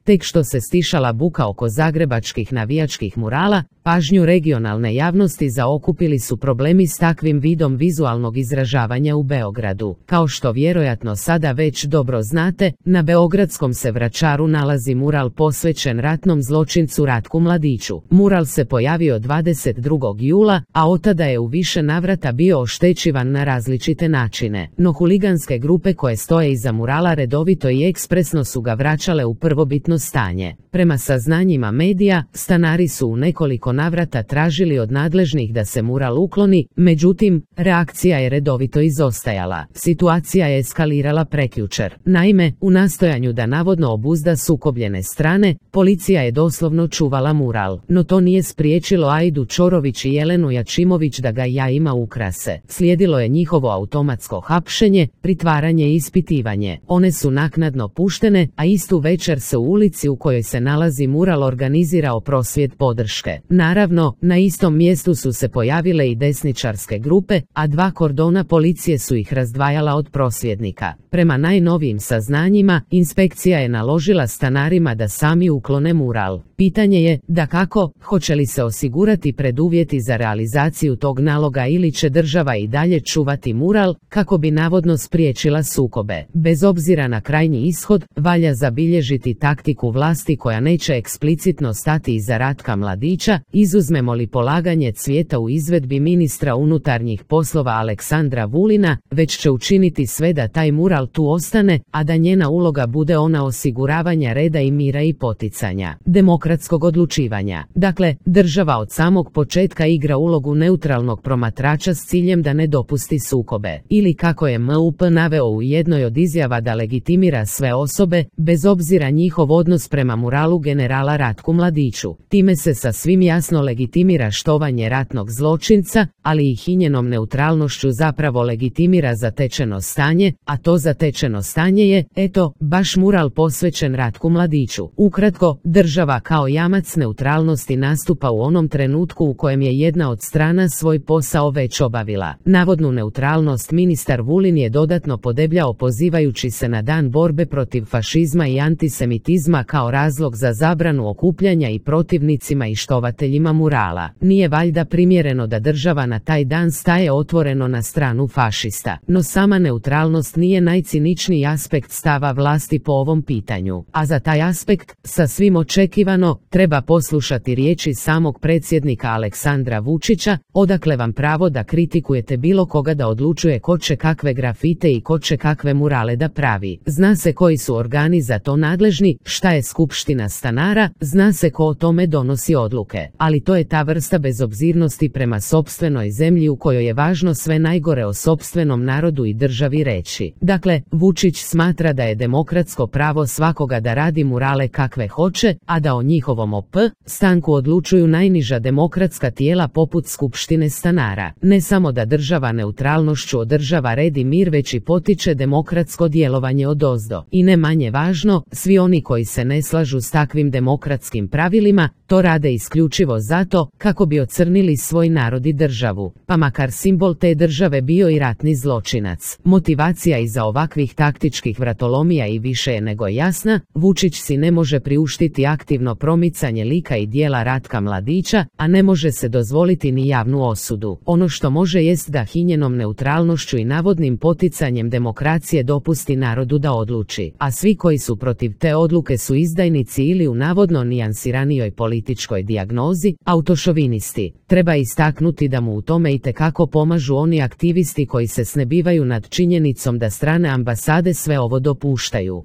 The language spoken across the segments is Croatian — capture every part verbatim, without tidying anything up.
Tek što se stišala buka oko zagrebačkih navijačkih murala, pažnju regionalne javnosti zaokupili su problemi s takvim vidom vizualnog izražavanja u Beogradu. Kao što vjerojatno sada već dobro znate, na beogradskom se Vračaru nalazi mural posvećen ratnom zločincu Ratku Mladiću. Mural se pojavio dvadeset drugog jula, a otada je u više navrata bio oštećivan na različite načine. No huliganske grupe koje stoje iza murala redovito i ekspresno su ga vraćale u prvobitno stanje. Prema saznanjima medija, stanari su u nekoliko navrata tražili od nadležnih da se mural ukloni, međutim, reakcija je redovito izostajala. Situacija je eskalirala prekjučer. Naime, u nastojanju da navodno obuzda sukobljene strane, policija je doslovno čuvala mural. No to nije spriječilo Aidu Čorović i Jelenu Jačimović da ga jajima ukrase. Slijedilo je njihovo automatsko hapšenje, pritvaranje i ispitivanje. One su naknadno puštene, a istu večer se u ulici u kojoj se nalazi mural organizirao prosvjed podrške. Naravno, na istom mjestu su se pojavile i desničarske grupe, a dva kordona policije su ih razdvajala od prosvjednika. Prema najnovijim saznanjima, inspekcija je naložila stanarima da sami uklone mural. Pitanje je, dakako, hoće li se osigurati preduvjeti za realizaciju tog naloga ili će država i dalje čuvati mural, kako bi navodno spriječila sukobe. Bez obzira na krajnji ishod, valja zabilježiti taktiku vlasti koja neće eksplicitno stati iza Ratka Mladića, izuzmemo li polaganje cvijeta u izvedbi ministra unutarnjih poslova Aleksandra Vulina, već će učiniti sve da taj mural tu ostane, a da njena uloga bude ona osiguravanja reda i mira i poticanja demokratskog odlučivanja. Dakle, država od samog početka igra ulogu neutralnog promatrača s ciljem da ne dopusti sukobe. Ili kako je M U P naveo u jednoj od izjava da legitimira sve osobe, bez obzira njihov odnos prema muralu generala Ratku Mladiću. Time se sasvim jasno legitimira štovanje ratnog zločinca, ali i hinjenom neutralnošću zapravo legitimira zatečeno stanje, a to zatečeno stanje je, eto, baš mural posvećen Ratku Mladiću. Ukratko, država kao jamac neutralnosti nastupa u onom trenutku u kojem je jedna od strana svoj posao već obavila. Navodnu neutralnost ministar Vulin je dodatno podebljao pozivajući se na dan borbe protiv fašizma i antisemitizma kao razlog za zabranu okupljanja i protivnicima i štovateljima murala. Nije valjda primjereno da država na taj dan staje otvoreno na stranu fašista. No sama neutralnost nije najciničniji aspekt stava vlasti po ovom pitanju. A za taj aspekt, sasvim očekivano, treba poslušati riječi samog predsjednika Aleksandra Vučića, odakle vam pravo da kritikujete bilo koga da odlučuje ko će kakve grafite i ko će kakve murale da pravi. Zna se koji su organi za to nadležni, šta je skupština stanara, zna se ko o tome donosi odluke. Ali to je ta vrsta bezobzirnosti prema sopstvenoj zemlji u kojoj je važno sve najgore o sopstvenom narodu i državi reći. Dakle, Vučić smatra da je demokratsko pravo svakoga da radi murale kakve hoće, a da o njihovom O P stanku odlučuju najniža demokratska tijela poput skupštine stanara. Ne samo da država neutralnošću održava red i mir, već i potiče demokratsko djelovanje odozdo. I ne manje važno, svi oni koji se ne slažu s takvim demokratskim pravilima, to rade isključivo zato kako bi ocrnili svoj narod i državu, pa makar simbol te države bio i ratni zločinac. Motivacija iza ovakvih taktičkih vratolomija i više je nego jasna. Vučić si ne može priuštiti aktivno promicanje lika i djela Ratka Mladića, a ne može se dozvoliti ni javnu osudu. Ono što može jest da hinjenom neutralnošću i navodnim poticanjem demokracije dopusti narodu da odluči, a svi koji su protiv te odluke su izdajnici ili u navodno nijansiranijoj političkoj dijagnozi, autošovinisti. Treba istaknuti da mu u tome itekako pomažu oni aktivisti koji se snebivaju nad činjenicom da strane ambasade sve ovo dopuštaju.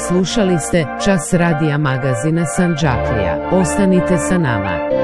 Slušali ste Čas radija magazina Sandžaklija. Ostanite sa nama.